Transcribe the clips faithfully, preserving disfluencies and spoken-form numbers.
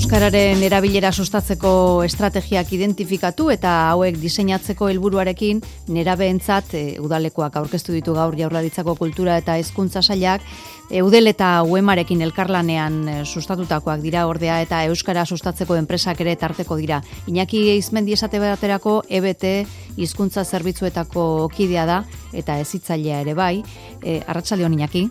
Euskararen erabilera sustatzeko estrategiak identifikatu eta hauek diseinatzeko helburuarekin nerabeentzat e, udalekoak aurkeztu ditu gaur Jaurlaritzako Kultura eta Hezkuntza Sailak. Eudel eta Uemarekin elkarlanean e, sustatutakoak dira ordea eta euskara sustatzeko enpresak ere tarteko dira. Iñaki Eizmendi esate baterako E B T hizkuntza zerbitzuetako kidea da eta hezitzailea ere bai. E, Arratsaldeon Iñaki.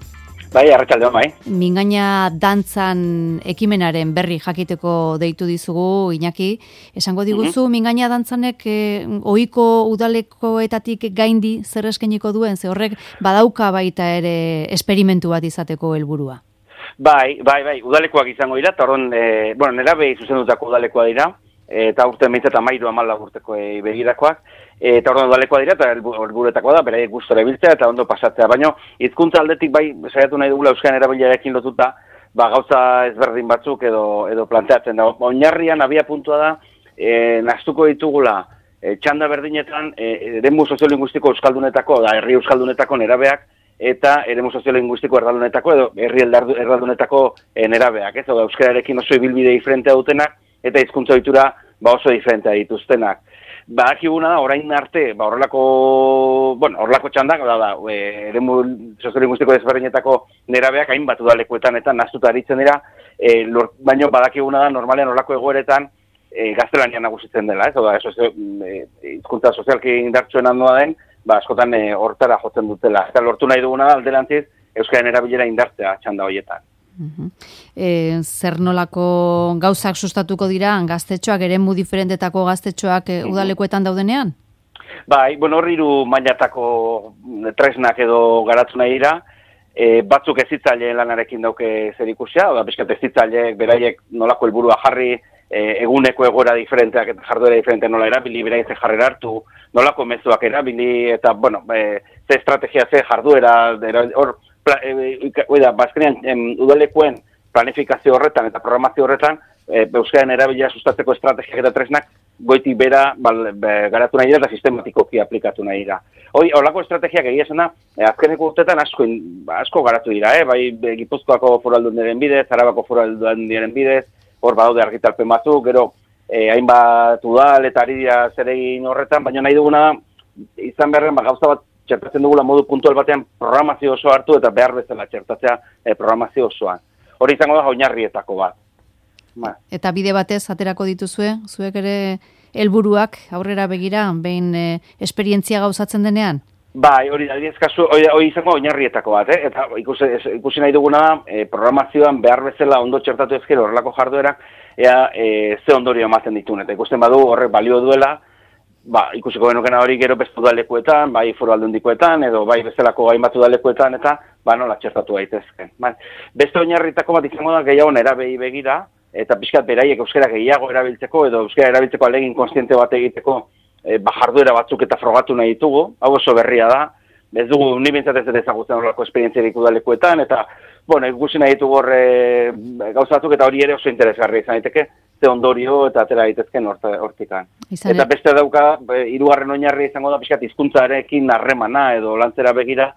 Bai, arratsaldeon bai. Mingaina dantzan ekimenaren berri jakiteko deitu dizugu, Iñaki. Esango diguzu, mm-hmm. Mingaina dantzanek eh, ohiko udalekoetatik gaindi zer eskainiko duen, ze horrek badauka baita ere esperimentu bat izateko helburua. Bai, bai, bai, udalekoak izango dira, eta horren, e, bueno, nerabei zuzendutako udalekoa dira, eta urte meintzat amairu amala urteko e, begirakoak, eta orduan udalekoa dira, eta helburuetakoa da, beraiek gustora biltzea eta ondo pasatzea. Baina hizkuntza aldetik bai saiatu nahi dugula euskaren erabilerekin lotuta, ba gauza ezberdin batzuk edo edo planteatzen da. Oinarrian abia puntua da, e, nahastuko ditugula e, txanda berdinetan e, eremu soziolinguistiko euskaldunetako, da herri euskaldunetako nerabeak, eta eremu soziolinguistiko erdaldunetako edo herri erdaldunetako e, nerabeak, ez? Oda euskararekin oso ibilbide diferentea dutenak eta hizkuntza ohitura ba oso diferentea dituztenak. Ba, akibuna da, orain arte, ba, horrelako, bueno, horrelako txandak, da, da, e, eremu soziolinguistiko desberdinetako nerabeak hainbat udalekuetan eta naztuta aritzen dira, e, lor, baino badakiguna da, normalean horrelako egoeretan e, gaztelanian nagusitzen dela, ez? Oda, hizkuntza e, sozialki indartsuen handoa den, ba, askotan e, hortara jotzen dutela. Eta lortu nahi duguna da, alderantziz, euskaren erabilera indartzea txanda horietan. Uh-huh. E, zer nolako gauzak sustatuko dira gaztetxoak, eremu diferentetako gaztetxoak e, udalekoetan daudenean? Bai, bueno, hor hiru mailatako tresnak edo garatu nahi dira, e, batzuk hezitzaileen lanarekin dauke zer ikusia, oda bizkat hezitzaileek beraiek nolako helburua jarri, e, eguneko egoera diferenteak eta jarduera diferente nola erabili, beraiek ze jarrera hartu, nolako mezuak erabili, eta, bueno, e, ze estrategia, ze jarduera, hor, Oida, bazkenean, udalekuen planifikazio horretan eta programazio horretan, e, euskaren erabilera sustatzeko estrategiak eta tresnak goitik bera bal, be, garatu nahi dira eta sistematikoki aplikatu nahi dira. Hoi, horlako estrategiak egia esena, e, azkeneko urtetan asko, asko garatu dira, eh? Bai Gipuzkoako foru aldundiaren bidez, Arabako foru aldundiaren bidez, hor badaude argitalpen batzuk, gero e, hainbat udal eta ari dira zeregin horretan, baina nahi duguna izan beharren ba, gauza bat txertatzen dugula modu puntual batean programazio osoa hartu eta behar bezala txertatzea eh, programazio osoan. Hori izango da oinarrietako bat. Ba. Eta bide batez aterako dituzue, zuek ere helburuak aurrera begira, behin e, esperientzia gauzatzen denean? Bai, hori da, kasu, hori, hori izango oinarrietako bat, eh? Eta ikusi, ikusi nahi duguna da, e, programazioan behar bezala ondo txertatu ezkero horrelako jarduerak, ea e, ze ondorio ematen ditun, eta ikusten badu horrek balio duela, ba, ikusiko genukena hori gero beste udalekuetan, bai foru aldundikoetan, edo bai bezalako hainbat udalekuetan, eta ba, nola txertatu daitezke. Ba, beste oinarritako bat izango da gehiago nerabei begira, eta pixkat beraiek euskara gehiago erabiltzeko, edo euskara erabiltzeko alegin konstiente bat egiteko e, ba, jarduera batzuk eta frogatu nahi ditugu, hau oso berria da, ez dugu ni bintzat ez ezagutzen horrelako esperientziarik udalekuetan, eta bueno, ikusi nahi ditugu horre gauza batzuk, eta hori ere oso interesgarri izan daiteke, ze ondorio eta atera daitezken hortikan. Eta beste dauka, hirugarren oinarri izango da, pixkat hizkuntzarekin harremana edo lantzera begira,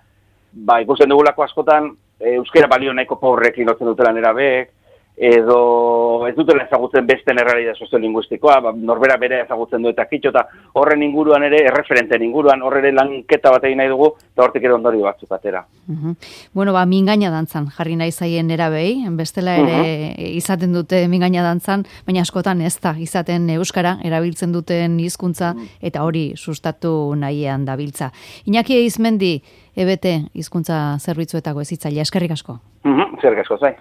ba, ikusten dugulako askotan, e, euskara balio nahiko pobrekin lotzen dutela nerabeek, edo ez dutela ezagutzen beste errealitate soziolinguistikoa, ba, norbera bere ezagutzen du eta kitxo, eta horren inguruan ere, erreferenten inguruan, horre lanketa bat egin nahi dugu, eta hortik ere ondorio batzuk atera. Uh-huh. Bueno, ba, mingaina dantzan jarri nahi zaien nerabei, bestela ere uh-huh. izaten dute mingaina dantzan, baina askotan ez da izaten euskara, erabiltzen duten hizkuntza uh-huh. eta hori sustatu nahiean dabiltza. Iñaki Eizmendi, E B T hizkuntza zerbitzuetako hezitzailea, eskerrik asko. Mhm, eskerrik asko, zai.